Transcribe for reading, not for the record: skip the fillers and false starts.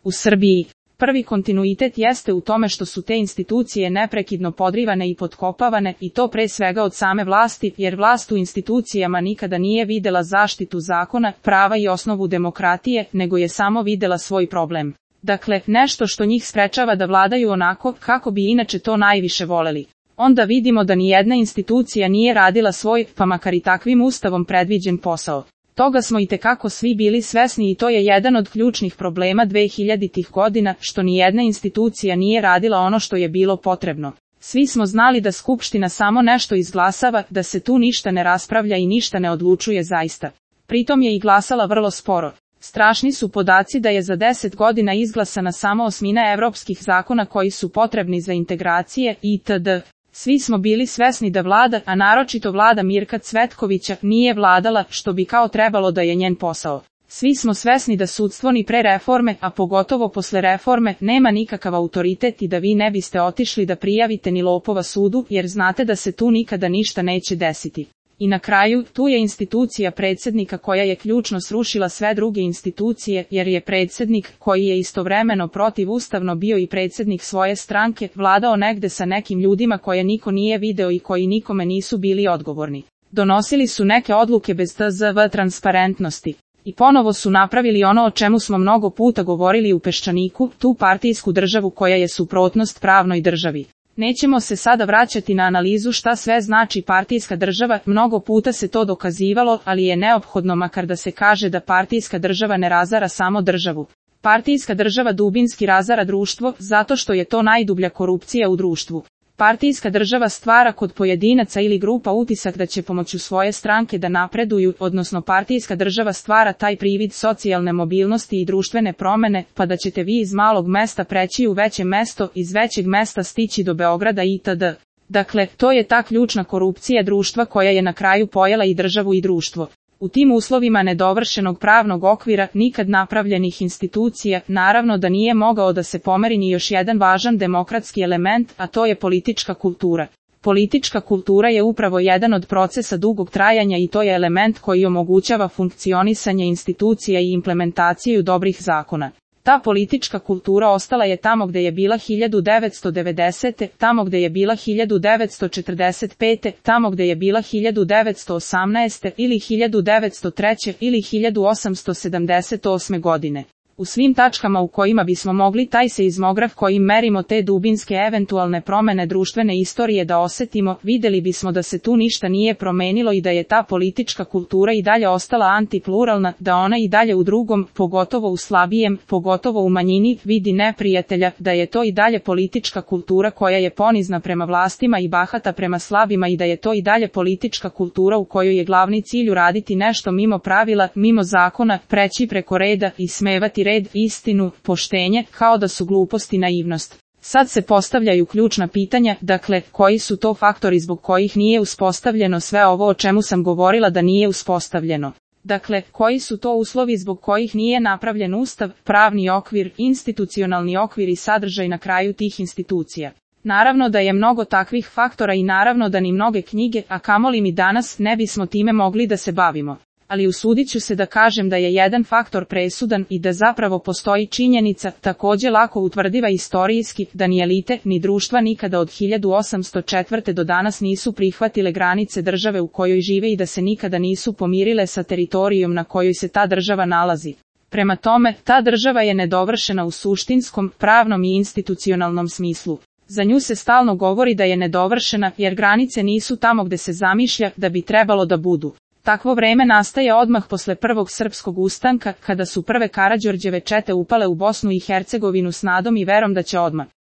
U Srbiji prvi kontinuitet jeste u tome što su te institucije neprekidno podrivane i potkopavane, i to pre svega od same vlasti, jer vlast u institucijama nikada nije videla zaštitu zakona, prava i osnovu demokratije, nego je samo videla svoj problem. Dakle, nešto što njih sprečava da vladaju onako kako bi inače to najviše voleli. Onda vidimo da ni jedna institucija nije radila svoj, pa makar i takvim ustavom predviđen posao. Toga smo itekako svi bili svesni i to je jedan od ključnih problema 2000-ih godina, što ni jedna institucija nije radila ono što je bilo potrebno. Svi smo znali da Skupština samo nešto izglasava, da se tu ništa ne raspravlja i ništa ne odlučuje zaista. Pritom je i glasala vrlo sporo. Strašni su podaci da je za 10 godina izglasana samo 1/8 evropskih zakona koji su potrebni za integracije itd. Svi smo bili svesni da vlada, a naročito vlada Mirka Cvetkovića, nije vladala što bi kao trebalo da je njen posao. Svi smo svesni da sudstvo ni pre reforme, a pogotovo posle reforme, nema nikakav autoritet i da vi ne biste otišli da prijavite ni lopova sudu, jer znate da se tu nikada ništa neće desiti. I na kraju, tu je institucija predsjednika koja je ključno srušila sve druge institucije, jer je predsjednik, koji je istovremeno protivustavno bio i predsjednik svoje stranke, vladao negde sa nekim ljudima koje niko nije video i koji nikome nisu bili odgovorni. Donosili su neke odluke bez tzv. Transparentnosti. I ponovo su napravili ono o čemu smo mnogo puta govorili u Peščaniku, tu partijsku državu koja je suprotnost pravnoj državi. Nećemo se sada vraćati na analizu šta sve znači partijska država, mnogo puta se to dokazivalo, ali je neophodno makar da se kaže da partijska država ne razara samo državu. Partijska država dubinski razara društvo, zato što je to najdublja korupcija u društvu. Partijska država stvara kod pojedinaca ili grupa utisak da će pomoću svoje stranke da napreduju, odnosno partijska država stvara taj privid socijalne mobilnosti i društvene promene, pa da ćete vi iz malog mesta preći u veće mesto, iz većeg mesta stići do Beograda itd. Dakle, to je ta ključna korupcija društva koja je na kraju pojela i državu i društvo. U tim uslovima nedovršenog pravnog okvira, nikad napravljenih institucija, naravno da nije mogao da se pomeri ni još jedan važan demokratski element, a to je politička kultura. Politička kultura je upravo jedan od procesa dugog trajanja i to je element koji omogućava funkcionisanje institucija i implementaciju dobrih zakona. Ta politička kultura ostala je tamo gde je bila 1990. tamo gde je bila 1945. tamo gde je bila 1918. ili 1903. ili 1878. godine. U svim tačkama u kojima bismo mogli taj seizmograf kojim merimo te dubinske eventualne promene društvene istorije da osetimo, videli bismo da se tu ništa nije promenilo i da je ta politička kultura i dalje ostala antipluralna, da ona i dalje u drugom, pogotovo u slabijem, pogotovo u manjini, vidi neprijatelja, da je to i dalje politička kultura koja je ponizna prema vlastima i bahata prema slabima i da je to i dalje politička kultura u kojoj je glavni cilj uraditi nešto mimo pravila, mimo zakona, preći preko reda i smevati red, istinu, poštenje, kao da su glupost i naivnost. Sad se postavljaju ključna pitanja, dakle, koji su to faktori zbog kojih nije uspostavljeno sve ovo o čemu sam govorila da nije uspostavljeno. Dakle, koji su to uslovi zbog kojih nije napravljen ustav, pravni okvir, institucionalni okvir i sadržaj na kraju tih institucija. Naravno da je mnogo takvih faktora i naravno da ni mnoge knjige, a kamoli mi danas, ne bismo time mogli da se bavimo. Ali usudit ću se da kažem da je jedan faktor presudan i da zapravo postoji činjenica, takođe lako utvrdiva istorijski, da ni elite, ni društva nikada od 1804. do danas nisu prihvatile granice države u kojoj žive i da se nikada nisu pomirile sa teritorijom na kojoj se ta država nalazi. Prema tome, ta država je nedovršena u suštinskom, pravnom i institucionalnom smislu. Za nju se stalno govori da je nedovršena, jer granice nisu tamo gde se zamišlja da bi trebalo da budu. Takvo vreme nastaje odmah posle prvog srpskog ustanka, kada su prve Karađorđeve čete upale u Bosnu i Hercegovinu s nadom i verom da će odmah